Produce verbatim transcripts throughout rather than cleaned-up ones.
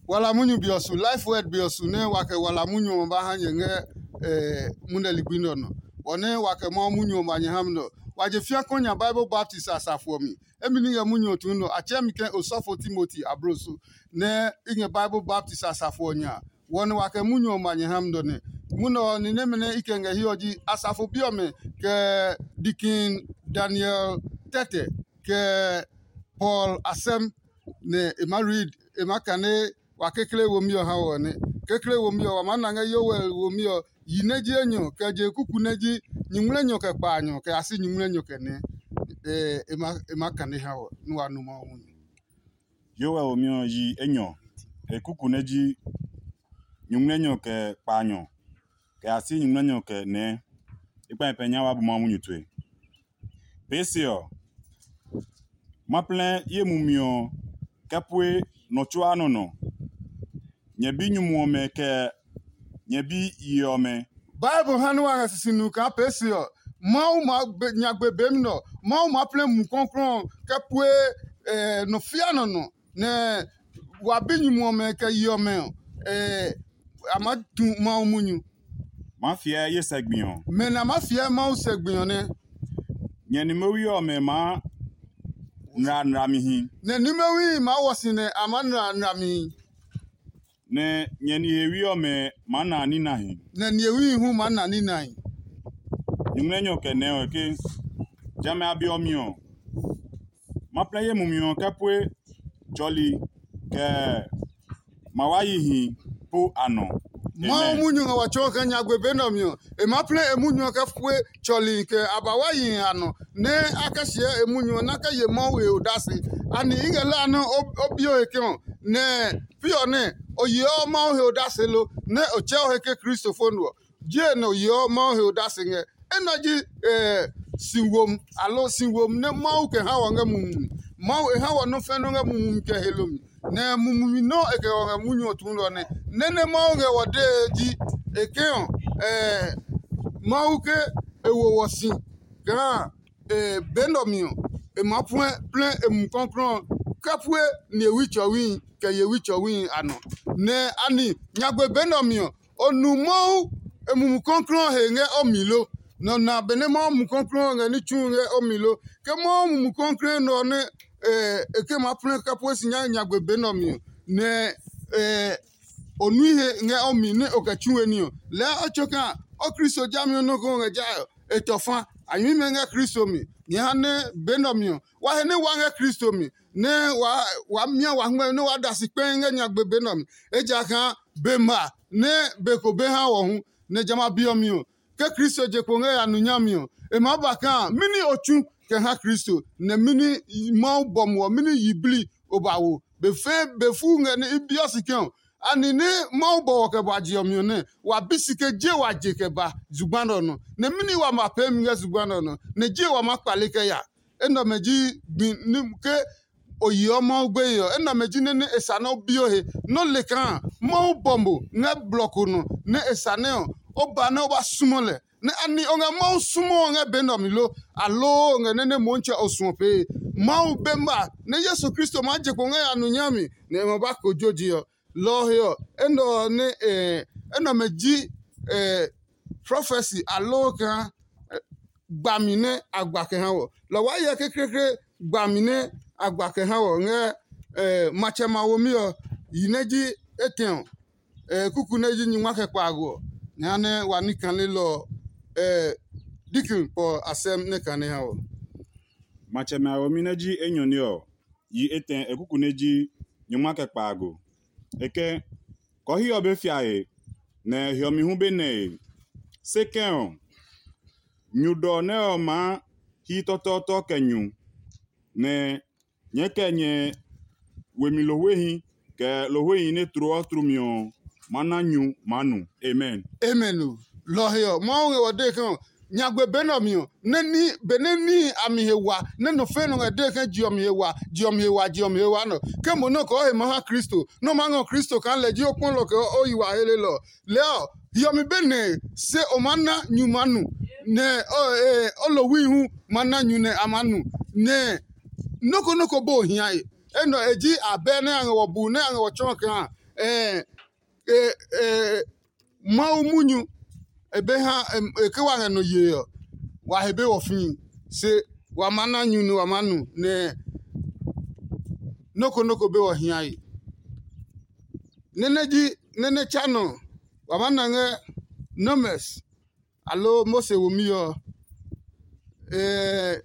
Wala munyu be ɔ su, Life Word be ɔ su nɛ wa kɛ wala munyu ɔ ba ha nyɛ ngɛ munɛ ligbi nɛ ɔ nɔ. Bɔ nɛ wa kɛ Mawu munyu ɔ ba nyɛ ha mi nɛ ɔ, wa je fia kɔ nya Bible baptist a safo ɔ mi. Emi ní ngɛ munyu ɔ tuu nɛ ɔ, a tsɛɛ mi ke osɔfo Timoti abloso, nɛ i ngɛ Bible baptist a safo ɔ nya a. Wɔ nɛ wa kɛ munyu ɔ ma nyɛ ha mi nɔ nɛ. Munɛ ɔ, ni nɛmɛ nɛ i kɛ ngɛ hiɛ ɔ ji asafo bi ɔmɛ, kɛ Dikin Daniel Tɛtɛ, kɛ Paul Asɛm, nɛ e ma read, e ma kane wa kekle womi ɔ ha wɔ nɛ. Kekle womi ɔ, wa maa na ngɛ Yoel womi ɔ, yi nɛ ji enyɔ, kɛ je kuku nɛ ji nyuŋmlɛnyɔ kɛ kpaanyɔ, kɛ ya si nyuŋmlɛnyɔ kɛ nɛ. E ma kane ha wɔ, nɛ wa nu Mawu munyu. Yoel womi ɔ yi enyɔ, e kuku nɛ ji nyuŋmlɛnyɔ kɛ kpaanyɔ, kɛ ya si nyuŋmlɛnyɔ kɛ nɛ. I kpa nyɛ pɛ nya wa bu Mawu munyu tue. Pee se ɔ, ma plɛ ye mumi ɔ kɛ pue nɔ tsuaa nɔ nɔ. Nyɛ bi nyumu ɔmɛ kɛ nyɛ bi yi ɔmɛ. Bible ha nɛ wa ngɛ sisi nu kaa pee se ɔ, Mawu maa nyagbe be mi nɔ. Mawu maa plɛ Mumi Klɔuklɔu ɔ kɛ pue nɔ fia nɔ nɔ, nɛ wa bi nyumu ɔmɛ kɛ yi ɔmɛ ɔ, a maa tu Mawu munyu. Maa fiɛ ye sɛ gbi ɔ. Mɛ nɛ a maa fiɛ Mawu sɛ gbi ɔ nɛ. Nyɛ nimɛwi ɔmɛ maa nra nramihi. Nɛ nimɛwi maa wɔ si nɛ a maa nra nramihi. Nɛ nyɛ nihewi ɔmɛ maa na ninahi. Nɛ nihewi hu maa na ninahi. Nyuŋmlɛnyɔ kɛ nɛ ɔ ke, jamɛ a be ɔ mi ɔ, ma plɛ ye mumi ɔ kɛ pue tsɔli kɛ ma wa yihi po a nɔ. Mawu munyu ngɛ wa tsɔɔ kɛ nyagbe be nɛ ɔ mi ɔ, e maa plɛ e munyu ɔ kɛ pue tsɔli kɛ a ba wa yihi a nɔ, nɛ a kɛ siɛ e munyu ɔ nɛ a kɛ ye Mawu he odase. Ani i ngɛ lɛ a nɛ o bio he ke ɔ, nɛ pi ɔ nɛ o yeɔ Mawu he odase lo, nɛ o tsɛɔ he ke Kristo fo nu ɔ? Jee nɛ o yeɔ Mawu he odase ngɛ. Enɛ ji si wom, aloo si wom nɛ Mawu kɛ ha wɔ ngɛ mumi mi. Mawu e ha wɔ nɔ́ fɛ́ nɔ́ ngɛ mumi mi kɛ helo mi, nɛ mumi mi nɔ́ e kɛ wɔ ngɛ munyu ɔ tuulɔ nɛ. Nɛ́ nɛ Mawu ngɛ wɔ dee ji e ke ɔ, Mawu ke e wo wɔ si kaa be nɛ ɔ mi ɔ, e maa puɛ plɛ e Mumi Klɔuklɔu ɔ kɛ pue nihewi tsɔwihi kɛ yewi tsɔwihi a nɔ. Nɛ ani nyagbe be nɛ ɔ mi ɔ, o nu Mawu e Mumi Klɔuklɔu ɔ he ngɛ o mi lo? Nɛ o na benɛ Mawu Mumi Klɔuklɔu ɔ ngɛ ní tsuhi ngɛ o mi lo? Ke Mawu Mumi Klɔuklɔu nɛ ɔ nɛ e ke maa plɛ kɛ pue si nyagbe be nɛ ɔ mi ɔ, nɛ o nui he ngɛ o mi nɛ o kɛ tsu we ní ɔ, lɛɛ o tso kaa o Kristo jami ɔ nɔ́ ko ngɛ ja e tɔ fa. A nyɛmimɛ ngɛ Kristo mi. Nyɛ ha nɛ be nɛ ɔ mi ɔ, wa he nɛ wa ngɛ Kristo mi, nɛ waa mia wa hngmɛ nɛ waa da si kpɛi ngɛ nyagbe be nɛ ɔ mi. Ejakaa be ma nɛ be ko be ha wɔ hu, nɛ jamɛ a be ɔ mi ɔ, ke Kristo je kpo ngɛ ya nu nyami ɔ, e maa ba kaa mɛni o tsu kɛ ha Kristo, nɛ mɛni Mawu bɔ mo ɔ, mɛni yiblii o ba wo. Be fɛɛ be fuu ngɛ nɛ i biɔ si ke ɔ, ani nɛ Mawu bɔ wɔ kɛ ba je ɔ mi ɔ nɛ, wa bi si ke je wa je kɛ ba zugba nɛ ɔ nɔ, nɛ mɛni wa ma peemi ngɛ zugba nɛ ɔ nɔ, nɛ je wa maa kpale kɛ ya. Enɛ ɔmɛ ji gbi ke o yeɔ Mawu gbeye ɔ. Enɛ ɔmɛ ji nɛ nɛ e sa nɛ o bi o he, nɛ o le kaa Mawu bɔ mo ngɛ blɔ ko nɔ, nɛ e sa nɛ ɔ, o ba nɛ o ba sumu lɛ. Nɛ ani o ngɛ Mawu sumu ɔ ngɛ be nɛ ɔ mi lo, aloo o ngɛ nɛ nɛ Motsɛ o suɔ pee? Mawu be ma nɛ Yesu Kristo maa je kpo ngɛ ya nu nyami, nɛ e ma ba kojoji ɔ. Lɔ ɔ he ɔ, enɛ ɔ nɛ enɛ ɔmɛ ji prɔfɛsi aloo kaa gbami nɛ a gba kɛ ha wɔ. Lɔ waa hyɛ kekleekle gbami nɛ a gba kɛ ha wɔ ngɛ matsɛ ma womi ɔ, yi nɛ ji etɛ ɔ, kuku nɛ ji nyingma kɛ kpaago ɔ, nɛ ha nɛ wa ní kanelɔ ɔ, Dikin Paul asɛm nɛ kane ha wɔ. Matsɛmɛ a womi nɛ ji enyɔne ɔ, yi etɛ e kuku nɛ ji nyingma kɛ kpaago. E ke, kɔhi ɔ be fia he, nɛ hiɔmi hu be nɛ e. Se kɛ̃ ɔ, nyu dɔ nɛ ɔ maa hi tɔtɔɔtɔ kɛ nyu, nɛ nyɛɛ kɛ nyɛ wemi lohwehi kɛ lohwehi nɛ tloɔ tlumi ɔ maa na nyu maa nu. Amen. Amen o. Lɔ ɔ he ɔ, Mawu ngɛ wɔ dee ke ɔ, nyagbe be nɛ ɔ mi ɔ, nɛ ní benɛ níhi a mi he wa, nɛ nɔ fɛ̃ nɔ ngɛ dee ke je ɔ mi he wa, je ɔ mi he wa, je ɔ mi he wa nɔ. Ke mo nɛ o kɔɔ he maa ha Kristo, nɛ o maa ngɔ Kristo kaa lɛ ji o kpɔlɔ kɛ o yi wa helelɔ ɔ, lɛɛ ɔ, hiɔmi be nɛ se o maa na nyu maa nu, nɛ o lohwi hu maa na nyu nɛ a maa nu, nɛ nɔ́ ko nɔ́ ko bo hiae. Enɛ ɔ, e ji abɛ nɛ a ngɛ wɔ bu nɛ a ngɛ wɔ tsɔɔ kaa Ɛɛ, e, e, Mawu munyu e be ha e ke wa ngɛ nɔ yee ɔ, wa he be wɔfii, se wa maa na nyu nɛ wa maa nu, nɛ nɔ́ ko nɔ́ ko be wɔ hiae. Nɛ nɛ ji nɛ nɛ tsa nɔ wa maa na ngɛ Numbers aloo Mose womi ɔ. Ɛɛ,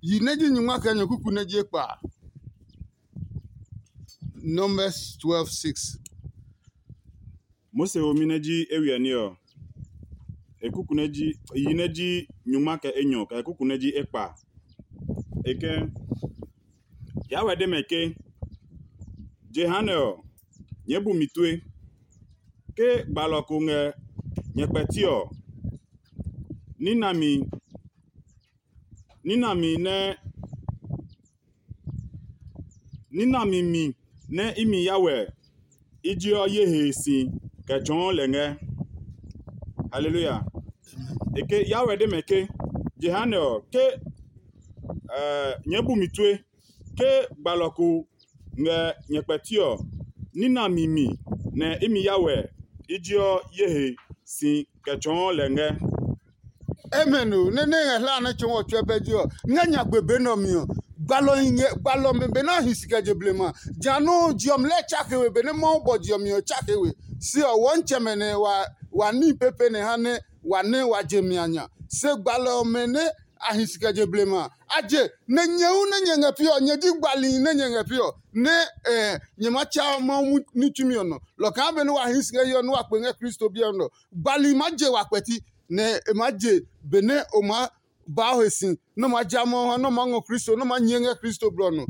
yi nɛ ji nyingma kɛ nyɔkuku nɛ ji ekpa. Numbers twelve six. Mose womi nɛ ji ewiɛ ní ɔ, e kuku nɛ ji yi nɛ ji nyungma kɛ enyɔ kɛ e kuku nɛ ji ekpa. E ke, Yawɛ de mɛ ke, jehanɛ ɔ, nyɛɛ bu mi tue. Ke gbalɔ ko ngɛ nyɛ kpɛti ɔ, ní nami ní nami nɛ ní nami mi nɛ imi Yawɛ i jeɔ ye he si kɛ tsɔɔ lɛ ngɛ. Haleluya. E ke Yawɛ de mɛ ke, jehanɛ ɔ, ke nyɛɛ bu mi tue, ke gbalɔ ko ngɛ nyɛ kpɛti ɔ, ní nami mi nɛ imi Yawɛ i jeɔ ye he si kɛ tsɔɔ lɛ ngɛ. Amen o. Nɛ nɛ ngɛ hla nɛ tsɔɔ ɔ tsuɛ bɛ ji ɔ, ngɛ nyagbe be nɛ ɔ mi ɔ, gbalɔ hi ngɛ gbalɔ ɔmɛ be nɛ a hi si kɛ je blema. Ja nɔuu je ɔ mi lɛ tsake we benɛ Mawu bɔ je ɔ mi ɔ tsake we. Se ɔ, wɔntsɛmɛ nɛ wa wa níhi pepe nɛ ha nɛ wa nɛ wa je mi a nya. Se gbalɔ ɔmɛ nɛ a hi si kɛ je blema a, a je, nɛ nyɛ hu nɛ nyɛ ngɛ pi ɔ, nyɛ ji gbalihi nɛ nyɛ ngɛ pi ɔ, nɛ nyɛ ma tsa Mawu ní tsumi ɔ nɔ. Lɔ kaa benɛ wa hi si ngɛ hiɛ ɔ nɛ wa kpe ngɛ Kristo biɛ ɔ nɔ, gbalihi maa je wa kpɛti, nɛ e maa je benɛ o maa ba o he si, nɛ o maa ja Mawu ha, nɛ o maa ngɔ Kristo, nɛ o maa nyɛ ngɛ Kristo blɔ ɔ nɔ.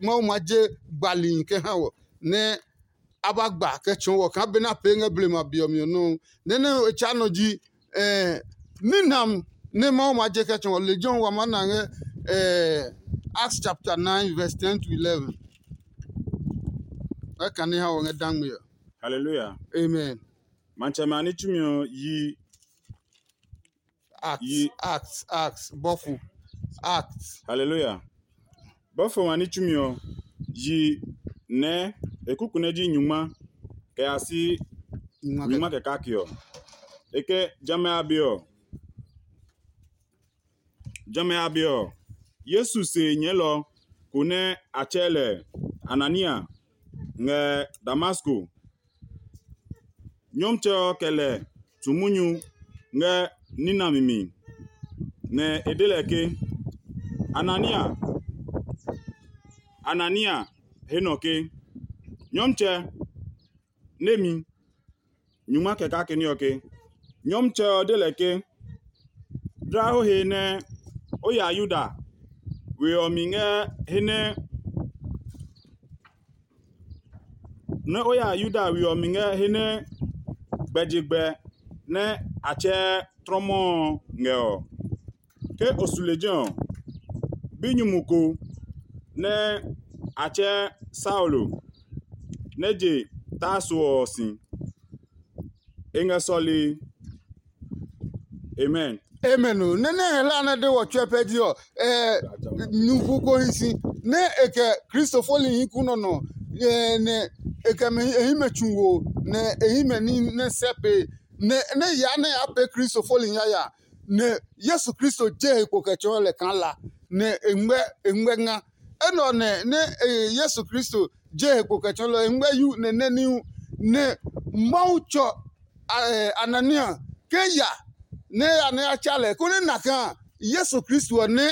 Mawu ma je gbalihi kɛ ha wɔ, nɛ a ba gba kɛ tsɔɔ wɔ kaa benɛ a pee ngɛ blema be ɔ mi ɔ nɔuu. Nɛ nɛ e tsa nɔ ji ninam nɛ Mawu ma je kɛ tsɔɔ wɔ. Lejɛ ɔ wa maa na ngɛ Acts chapter nine verse ten to eleven. Ɛ kane ha wɔ ngɛ dangme ɔ. Hallelujah. Amen. Matsɛmɛ a ní tsumi ɔ yi Acts, yi Acts, Acts, bɔfo, Acts. Hallelujah. Bɔfo ma ní tsumi ɔ yi nɛ e kuku nɛ ji nyungma kɛ ya si nyungma kɛ kake ɔ. E ke jamɛ a be ɔ, jamɛ a be ɔ, Yesu se nyɛɛlɔ ko nɛ a tsɛɛ lɛ Anania ngɛ Damasko. Nyɔmtsɛ ɔ kɛ lɛ tu munyu ngɛ ní nami mi, nɛ e de lɛ ke, Anania! Anania! He nɔ ke, Nyɔmtsɛ! Nemi. Nyungma kɛ kake ní ɔ ke, Nyɔmtsɛ ɔ de lɛ ke, Dlaa o he nɛ o ya Yuda we ɔ mi ngɛ he nɛ nɛ o ya Yuda we ɔ mi ngɛ he nɛ gbɛjegbɛ nɛ a tsɛɛ trɔmɔ ɔ ngɛ ɔ. Ke o su lejɛ ɔ, binyumu ko nɛ a tsɛɛ Saulo nɛ je Tarso ɔ si. E ngɛ sɔlee. Amen. Amen o. Nɛ nɛ hɛ hla nɛ de wɔ tsɔɛ pɛ ji ɔ, nyugu ko hi si nɛ e kɛ Kristo fɔlihi ku nɔ nɔ, nɛ e kɛ mɛ e hɛ mɛ tsu wo, nɛ e hɛ mɛ ní nɛ sɛ pee, nɛ nɛ yaa nɛ ya pee Kristo fɔlihi yaya, nɛ Yesu Kristo je he kpo kɛ tsɔɔ lɛ kaa la, nɛ e ngmɛ e ngmɛ nga. Enɛ ɔ nɛ nɛ Yesu Kristo je he kpo kɛ tsɔɔ lɛ, e ngmɛ yu nɛ nɛ ní hu, nɛ Mawu tsɔ Anania ke ya nɛ ya nɛ ya tsa lɛ, konɛ na kaa Yesu Kristo ɔ nɛ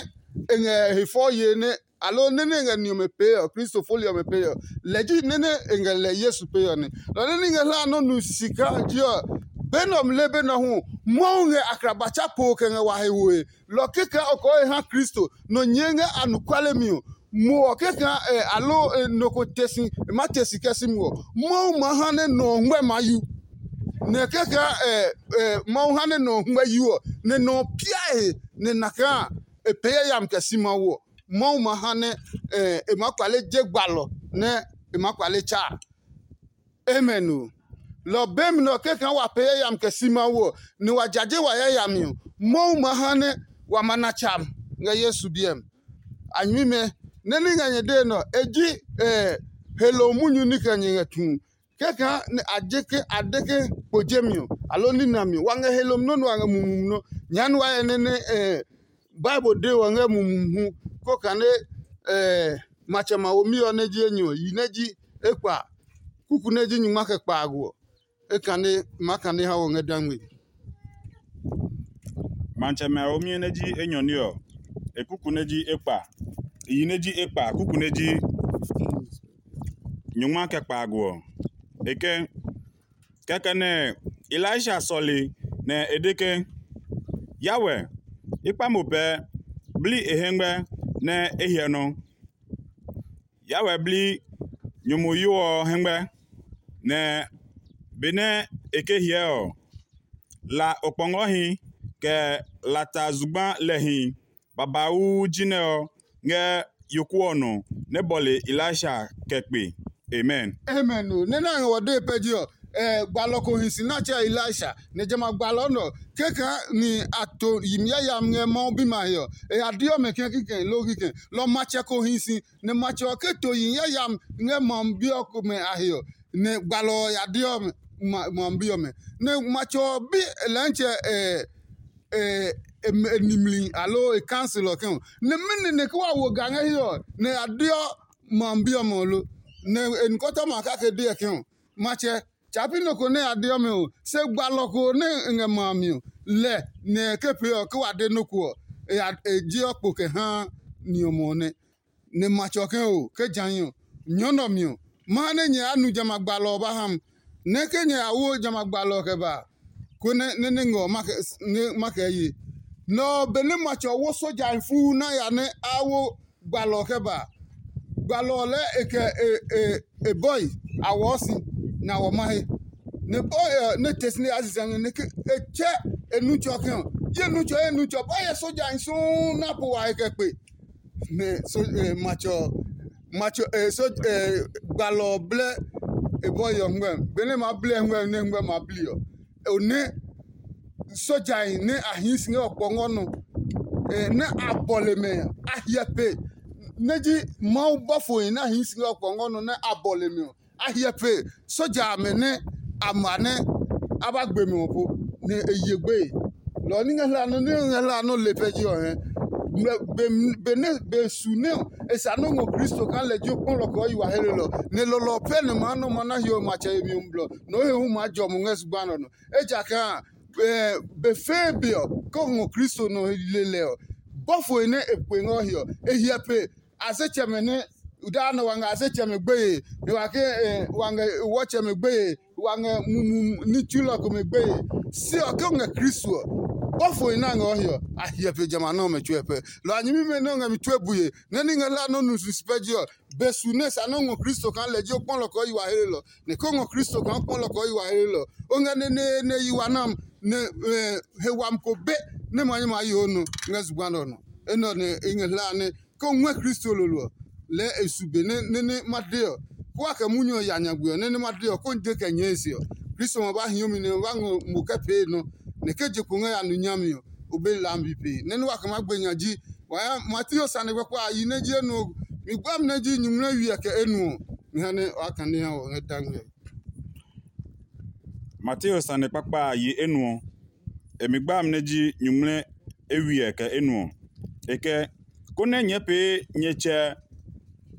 e ngɛ he fɔ ye nɛ, aloo nɛ nɛ e ngɛ ni ɔmɛ pee ɔ, Kristo fɔli ɔmɛ pee ɔ, lɛ ji nɛ nɛ e ngɛ lɛ Yesu pee ɔ nɛ. Lɔ nɛ ní ngɛ hla nɔ́ nu sisi kaa ji ɔ, be nɛ ɔ mle be nɔ hu Mawu ngɛ akraba tsa po kɛ ngɛ wa he woe. Lɔ kɛkɛ ɔ kɔɔ e ha Kristo nɔ nyɛɛ ngɛ anɔkuale mi ɔ, mo ɔ kɛkɛ ɛ aloo nɔ ko te si e ma te si kɛ si mi ɔ, Mawu ma ha nɛ nɔ ɔ ngmɛ ma yu. Nɛ kɛkɛ ɛ Mawu ha nɛ nɔ ɔ ngmɛ yu ɔ, nɛ nɔ ɔ pia e he, nɛ na kaa e pee yayami kɛ si Mawu ɔ, Mawu ma ha nɛ e maa kpale je gbalɔ nɛ e maa kpale tsa a. Amen o. Lɔ ɔ be mi nɛ ɔ kɛkɛ wa pee yayami kɛ si Mawu ɔ, nɛ wa jaje wa yayami ɔ, Mawu ma ha nɛ wa ma na tsa ngɛ Yesu biɛ mi. A nyɛmimɛ, nɛ ní ngɛ nyɛ dee nɛ ɔ, e ji Helo munyu ní kɛ nyɛ ngɛ tu. Kɛkaa nɛ a je ke a de ke kpo jemi ɔ, aloo nina mi ɔ, wa ngɛ helom nɔ́ nɛ wa ngɛ mumi nɔ́. Nyɛɛ nɛ wa hyɛ nɛ nɛ Bible de wɔ ngɛ mumi hu, kó kane matsɛ ma womi ɔ nɛ ji enyɔ, yi nɛ ji ekpa, kuku nɛ ji nyungma kɛ kpaago ɔ, e kane ma kane ha wɔ ngɛ dangme. Matsɛmɛ a womi nɛ ji enyɔ ní ɔ, e kuku nɛ ji ekpa, yi nɛ ji ekpa, kuku nɛ ji nyungma kɛ kpaago ɔ. E ke, kɛkɛ nɛ Elisha sɔle nɛ e de ke, "Yawɛ, i kpa mo pɛɛ, bli e hɛngmɛ nɛ e hyɛ nɔ." Yawɛ bli nyumuyo ɔ hɛngmɛ, nɛ benɛ e ke hyɛ ɔ, la okpɔngɔhi kɛ lata zugba lɛhi babauu jinɛ ɔ ngɛ yoku ɔ nɔ nɛ bɔle Elisha kɛ kpe. Amen. Amen o. Nɛ na ngɛ wɔ dee pɛ ji ɔ, eh, gbalɔ ko hi si nɛ a tsɛ Elisha, nɛ jamɛ a gbalɔ nɛ ɔ, kɛkaa ni a to yimi yayami ngɛ Mawu bimɛ a he ɔ, e ya deɔ mɛ kɛ̃ kikɛ loo kikɛ. Lɔ matsɛ ko hi si, nɛ matsɛ ɔ ke to yimi yayami ngɛ Mawu bi ɔ komɛ a he ɔ, nɛ gbalɔ ɔ ya deɔ mɛ, Mawu bi ɔmɛ. Nɛ matsɛ ɔ bi lɛntsɛ, eh, eh, e nimli aloo e council ɔ kɛ ɔ, nɛ mɛni nɛ ke wa wo ga ngɛ he ɔ, nɛ a deɔ Mawu bi ɔmɛ ɔ lo? Nɛ e nikɔtɔma a kake deɔ ke ɔ, matsɛ, tsa pi nɔ ko nɛ a deɔ mɛ ɔ, se gbalɔ ko nɛ e ngɛ ma a mi ɔ, lɛ nɛ e ke pee ɔ, ke wa de nɔ́ ko ɔ, e ya e jeɔ kpo kɛ haa ni ɔmɔ ɔ nɛ. Nɛ matsɛ ɔ ke o, ke jã hi ɔ, nyɔɔ nɛ ɔ mi ɔ, ma ha nɛ nyɛ ya nu jamɛ a gbalɔ ɔ ba ha mi. Nɛ ke nyɛ ya wo jamɛ a gbalɔ ɔ kɛ ba a, konɛ nɛ nɛ ngɛ ɔ ma kɛ ye. Nɛ ɔ, benɛ matsɛ ɔ wo sojahi fuu nɛ a ya nɛ a wo gbalɔ ɔ kɛ ba a, gbalɔ ɔ lɛɛ e kɛ e e e bɔe a wɔɔ si, nɛ a wɔ mahe. Nɛ bɔe ɔ nɛ te si nɛ yaa sisɛ ngɛ nɛ ke e tsɛ e nu tsɔ ke ɔ, ye nu tsɔ ye nu tsɔ ba hyɛ sojahi suu nɛ a po wa he kɛ kpe. Nɛ so eh, matsɛ ɔ matsɛ eh, so eh, gbalɔ ɔ blɛ e bɔe ɔ ngmɛ, benɛ ma blɛ ngmɛ nɛ ngmɛ ma bli ɔ, o nɛ sojahi nɛ a hii si ngɛ ɔkpɔngɔ nɔ, eh, nɛ a bɔle mɛ a hiɛ pe, nɛ ji Mawu bɔfohi nɛ a hii si ngɛ ɔkpɔngɔ nɔ nɛ a bɔle mɛ ɔ, a hiɛ pe soja amɛ nɛ a ma nɛ a ba gbe mɛ ɔ po, nɛ e ye gbeye. Lɔ ɔ ní ngɛ hla nɔ ní ngɛ hla nɔ le pɛ ji ɔ hɛ. Benɛ be su nɛ ɔ e sa nɔ́ ngɔ Kristo kaa lɛ ji o kpɔlɔ kɛ ɔ yi wa he lelɔ, nɛ lɔlɔ ɔ pɛ nɛ maa nɔ ma na hiɔwe matsɛ yemi ɔ blɔ, nɛ o he hu maa jɔ mo ngɛ zugba nɛ ɔ nɔ. Ejakaa be fɛɛ be ɔ, ke o ngɔ Kristo nɔ le lɛ ɔ, bɔfohi nɛ e kpe ngɛ o he ɔ, e hyɛ pe a se tsɛmɛ nɛ daa nɔ wa ngɛ a se tsɛmɛ gbeye, nɛ wa ke wa ngɛ wɔtsɛmɛ gbeye, wa ngɛ mumi ní tsulɔ komɛ gbeye. Se ɔ, ke o ngɛ Kristo ɔ, bɔfohi nɛ a ngɛ o he ɔ, a hyɛ pe jamɛ a nɛ ɔmɛ tsuɛ pɛ. Lɔ a nyɛmimɛ nɛ o ngɛ mi tue bue, nɛ ní ngɛ hla nɔ́ nu sisi pɛ ji ɔ, be su nɛ sa nɔ́ ngɔ Kristo kaa lɛ ji o kpɔlɔ kɛ o yi wa helelɔ. Nɛ ke o ngɔ Kristo kaa o kpɔlɔ kɛ o yi wa helelɔ, o ngɛ neneene yi wa nam, nɛ he wami ko be nɛ ma nyɛ ma yi o nɔ ngɛ zugba nɛ ɔ nɔ. Enɛ ɔ nɛ e ngɛ hla nɛ ke o ngɔɛ Kristo lolo ɔ, lɛɛ e su be nɛ nɛ ma de ɔ, kó wa kɛ munyu ɔ ya nyagbe ɔ nɛ nɛ ma de ɔ, kó n de kɛ nyɛɛ e se ɔ, Kristo ma ba hio mi nɛ ma ba ngɔ mo kɛ pee nɔ, nɛ ke je kpo ngɛ ya nu nyami ɔ, o be lambi pee. Nɛ nɛ wa kɛ ma gbe nya ji, wa ya Mateo sane kpakpa a yi nɛ ji enuɔ, mi gba mi nɛ ji nyumu nɛ wiɛ kɛ enuɔ. Mi ha nɛ waa kane ha wɔ ngɛ dangmɛ. Mateo sane kpakpa a yi enuɔ, e mi gba mi nɛ ji nyumu nɛ e wiɛ kɛ enuɔ. E kɛ, konɛ nyɛɛ pee nyɛ Tsɛ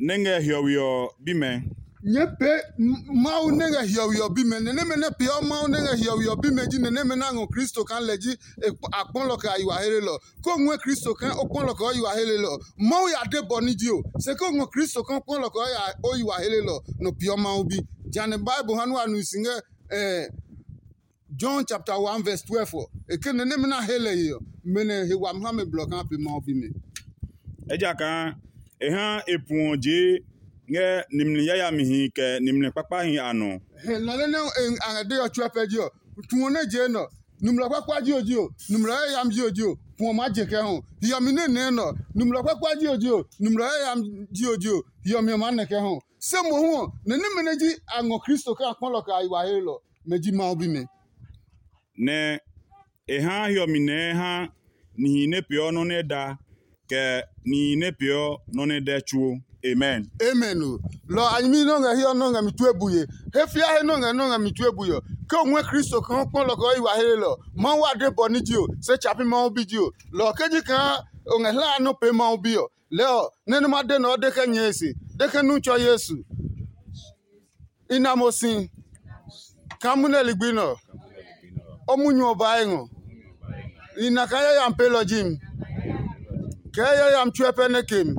nɛ ngɛ hiɔwe ɔ bimɛ. Nyɛɛ pee Mawu nɛ ngɛ hiɔwe ɔ bimɛ. Nɛ nɛmɛ nɛ peeɔ Mawu nɛ ngɛ hiɔwe ɔ bimɛ ji nɛ nɛmɛ nɛ a ngɔ Kristo kaa lɛ ji a kpɔlɔ kɛ a yi wa helelɔ. Ko ngɔɛ Kristo kaa o kpɔlɔ kɛ o yi wa helelɔ. Mawu ya de bɔ ní ji o. Se ko ngɔ Kristo kaa o kpɔlɔ kɛ o yi wa helelɔ, nɔ peeɔ Mawu bi. Jane Bible ha nua nu si ngɛ John chapter one verse twelve ɔ, e ke nɛ nɛmɛ nɛ a he lɛ he ɔ, mɛ nɛ he wami ha mɛ blɔ kaa pe Mawu bimɛ. Ejakaa e ha e puɔ jee ngɛ nimli yayamihi kɛ nimli kpakpahi a nɔ. He lɔ nɛ nɛ a ngɛ de ɔ tsuɛ pɛ ji ɔ, tuɔ nɛ jee nɔ. Numlɔ kpakpa ji o ji o, numlɔ yayami ji o ji o, puɔ maa je kɛ hu. Hiɔmi nɛ nɛɛ nɔ, numlɔ kpakpa ji o ji o, numlɔ yayami ji o ji o, hiɔmi ɔ maa nɛ kɛ hu. Se mohu ɔ, nɛ nɛmɛ nɛ ji a ngɔ Kristo kaa kpɔlɔ kɛ a yi wa helɔ, mɛ ji Mawu bimɛ. Nɛ e ha hiɔmi nɛɛ ha nihi nɛ peeɔ nɔ́ nɛ da, kɛ nihi nɛ peeɔ nɔ́ nɛ dɛ tsuo. Amen. Amen o. Lɔ a nyɛmi nɔ ngɛ hiɛ ɔ nɔ ngɛ mi tue buye. He fia he nɔ ngɛ nɔ ngɛ mi tue buye ɔ. Ke o ngɔɛ Kristo kaa o kpɔ lɔ kɛ o yi wa helelɔ, Mawu ade bɔ ní ji o, se tsapi Mawu bi ji o. Lɔ ɔ ke ji kaa o ngɛ hla a nɔ pee Mawu bi ɔ, lɛɛ ɔ, nɛ nɛ ma de nɛ ɔ de kɛ nyɛe se, de ke nu tsɔ Yesu. I na mo si kaa munɛ ligbi nɛ ɔ, o munyu ɔ baa e ngɔ. I na kaa yayami pelɔ ji mi, kɛ yayami tsuɛ pɛ nɛ ke mi,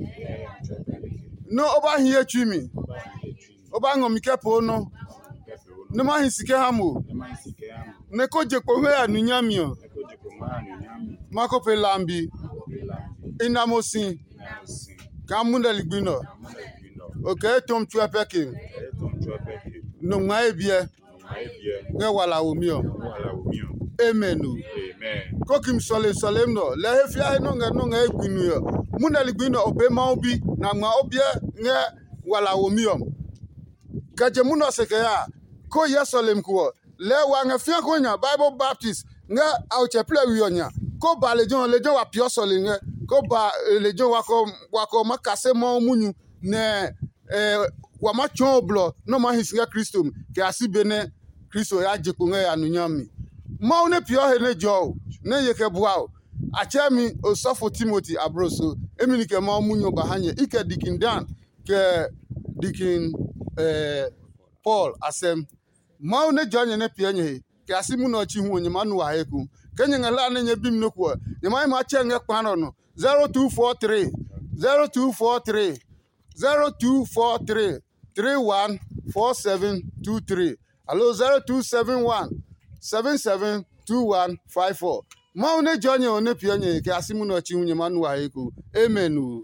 nɛ o ba hi ye tsui mi, o ba ngɔ mi kɛ poo nɔ, nɛ ma hi si kɛ ha mo, nɛ ko je kpo ngɛ ya nu nyami ɔ. Ma ko pe lambi. I na mo si kaa munɛ ligbi nɛ ɔ, o kɛ etɔmi tsuɛ pɛ ke mi. Nɔ ngma ye biɛ ngɛ wala womi ɔ. Amen o. Ko kimi sɔle sɔlemi nɛ ɔ, lɛ he fia he nɔ ngɛ nɔ ngɛ ye gbi nue ɔ, munɛ ligbi nɛ ɔ, o pee Mawu bi, nɛ a ngma o biɛ ngɛ wala womi ɔ. Kɛ je munɛ ɔ se kɛ ya a, ko hyɛ sɔlemi ko ɔ, lɛɛ wa ngɛ fĩa ko nya Bible baptist ngɛ Aotsɛplɛ we ɔ nya, ko ba lejɛ ɔ, lejɛ ɔ wa peeɔ sɔlemi ngɛ, ko ba lejɛ ɔ wakɔ wakɔ ma kase Mawu munyu, nɛ wa ma tsɔɔ blɔ nɛ ɔ maa hi si ngɛ Kristo mi kɛ ya si be nɛ Kristo ya je kpo ngɛ ya nu nyami mi. Mawu nɛ peeɔ he nɛ jɔ o, nɛ ye kɛ bua o, a tsɛɛ mi osɔfo Timoti abloso. Emi ni kɛ Mawu munyu ɔ ba ha nyɛ, i kɛ Dikin Dan, kɛ Dikin Paul asɛm. Mawu nɛ jɔɔ nyɛ nɛ piɛ nyɛ he, kɛ ya si munɛ ɔ chi hu ɔ, nyɛ maa nu wa he ku. Ke nyɛ ngɛ hlaa nɛ nyɛɛ bi mi nɔ́ ko ɔ, nyɛ maa yi maa tsɛ ngɛ kpa nɛ ɔ nɔ. Zero two four three, zero two four three, zero two four three, three one four seven two three, aloo zero two seven one, seven seven two one five four. Mawu nɛ jɔɔ nyɛ ɔ nɛ piɛ nyɛ he kɛ ya si munɛ ɔ chi hu nyɛ maa nu wa he ku. Amen o.